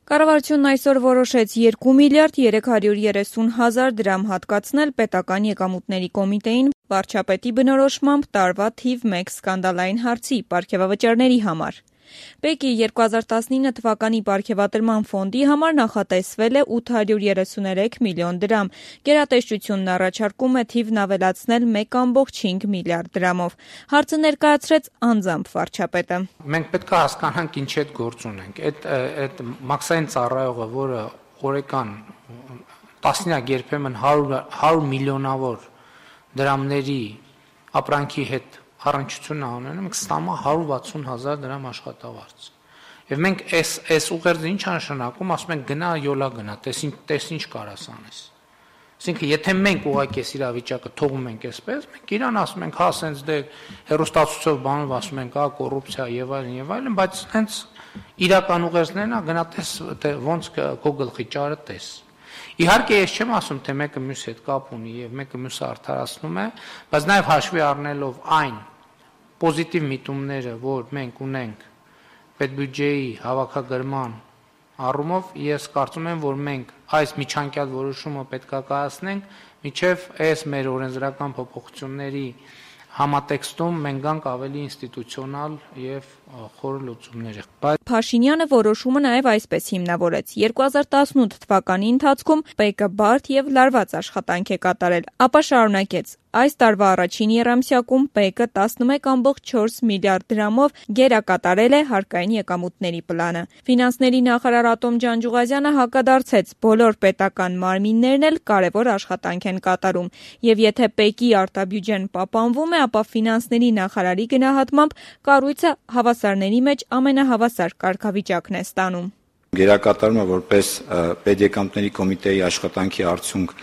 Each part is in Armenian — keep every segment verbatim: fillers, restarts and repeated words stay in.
Կառավարությունն այսօր որոշեց երկու միլիարդ երեք հարյուր երեսուն հազար դրամ հատկացնել պետական եկամուտների կոմիտեին վարչապետի բնորոշմամբ տարվա թիվ մեկ սկանդալային հարցի պարգևավճարների համար։ Պեկի երկու հազար տասնինը թվականի պարգևատրման ֆոնդի համար նախատեսվել է ութ հարյուր երեսուներեք միլիոն դրամ, գերատեսչությունն առաջարկում է թիվն ավելացնել մեկ կόμկոմ հինգ միլիարդ դրամով։ Հարցը ներկայացրեց անձամբ վարչապետը։ Մենք պետք է հասկանանք ինչ այդ գործ ունենք։ Այդ այդ մաքսային ծառայողը, որը օրական տասնյակ երբեմն հարյուր միլիոնավոր դրամների ապրանքի հետ առնչություն ունեն, մենք ստանում ենք հարյուր վաթսուն հազար դրամ աշխատավարձ։ Եվ մենք այս այս ուղերձը ինչ նշանակում, ասում ենք գնա յոլա գնա, տես ինչ տես ինչ կարաս անես։ Այսինքն եթե մենք ուղղակի այս իրավիճակը թողում ենք այսպես, մենք իրան ասում ենք, հա, սենց դե հերոստացույցով բանով ասում ենք, հա, կոռուպցիա եւ այլն եւ այլն, բայց հենց իրական ուղերձներն է գնա տես ոնց քո գլխի ճարը տես։ Իհարկե ես չեմ ասում, թե մեկը մյուսի հետ կապ ունի եւ մեկը մյուսը արդարացնում է, բայց նաեւ հաշվի առնելով այն պոզիտիվ միտումները, որ մենք ունենք պետբյուջեի հավաքագրման առումով, ես կարծում եմ, որ մենք այս միջանկյալ որոշումը պետք է կայացնենք, մինչև այս մեր օրենսդրական փոփոխությունների համատեքստում մենք գանք ավելի ինստիտուցիոնալ եւ խոր լուծումների։ Փաշինյանը որոշումը նաեւ այսպես հիմնավորեց. երկու հազար տասնութ թվականի ընթացքում ՊԵԿ-ը բարդ եւ լարված աշխատանք է կատարել, ապա շարունակեց. այս տարվա առաջին եռամսյակում ՊԵԿ-ը տասնմեկ կόμկոմ չորս միլիարդ դրամով գերակատարել է հարկային եկամուտների պլանը։ Ֆինանսների նախարար Ատոմ Ջանջուղազյանը հակադարձեց. բոլոր պետական մարմիններն էլ կարևոր աշխատանք են կատարում, եւ եթե ՊԵԿ-ի արտաբյուջեն պահպանվում է, ապա ֆինանսների նախարարի գնահատմամբ կառույցը հավասարների մեջ ամենահավասար կարգավիճակն է ստանում։ Գերակատարումը որպես պետեկամտների կոմիտեի աշխատանքի արդյունք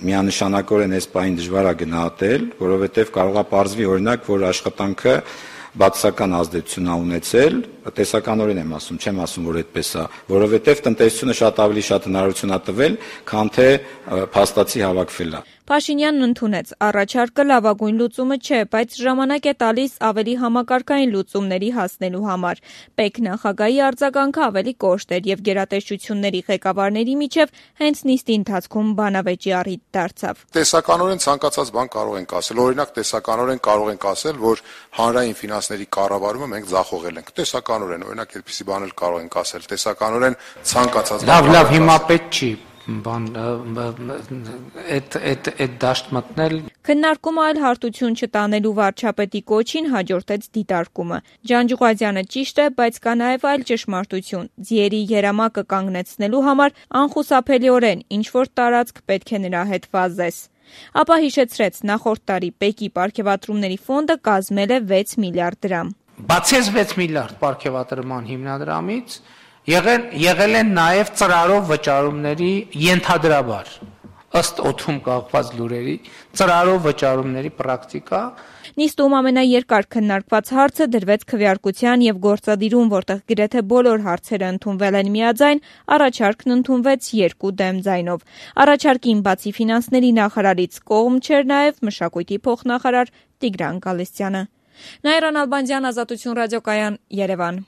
միանշանակորեն այս պահին դժվար է գնահատել, որովհետև կարող է պարզվի օրինակ, որ աշխատանքը բացասական ազդեցություն է ունեցել, տեսականորեն եմ ասում, չեմ ասում, որ այդպես է, որովհետև տնտեսությունը շատ ավելի շատ հնարավորություն է տվել, քան թե փաստացի հավաքվելը։ Փաշինյանն ընդունեց, առաջարկը լավագույն լուծումը չէ, բայց ժամանակ է տալիս ավելի համակարգային լուծումների հասնելու համար։ ՊԵԿ նախագահի արձագանքը ավելի կոշտ էր եւ գերատեսչությունների ղեկավարների միջև հենց նիստի ընթացքում բանավեճի առիթ դարձավ։ Տեսականորեն ցանկացած բան կարող ենք ասել, օրինակ տեսականորեն կարող ենք ասել, որ հանրային ֆինանսների կառավարումը մենք ձախողել ենք։ Տեսականորեն, օրինակ այդպիսի բան էլ կարող ենք ասել, տեսականորեն ցանկացած բան։ Լավ, լավ, հիմա պետք չի բան այդ այդ այդ դաշտ մտնել։ Քննարկումը այլ հարթություն չտանելու վարչապետի կոչին հաջորդեց դիտարկումը։ Ջանջուղազյանը ճիշտ է, բայց կա նաև այլ ճշմարտություն։ Ձիերի երամակը կանգնեցնելու համար անխուսափելիորեն ինչ որ տարածք պետք է նրա հետ վազես։ Ապա հիշեցրեց, նախորդ տարի ՊԵԿ-ի պարգևատրումների ֆոնդը կազմել է վեց միլիարդ դրամ։ Բացի այս վեց միլիարդ պարգևատրման հիմնադրամից Եղել, եղել են նաև ծրարով վճարումների ենթադրաբար, ըստ օդում կախված լուրերի, ծրարով վճարումների պրակտիկա։ Նիստում ամենաերկար քննարկված հարցը դրվեց քվեարկության եւ գործադիրում, որտեղ գրեթե բոլոր հարցերը ընդունվել են միաձայն, առաջարկն ընդունվեց երկու դեմ ձայնով։ Առաջարկին բացի ֆինանսների նախարարից կողմ չէր նաև մշակույթի փոխնախարար Տիգրան Գալստյանը։ Նաիրա Նալբանդյան, Ազատություն ռադիոկայան, Երևան։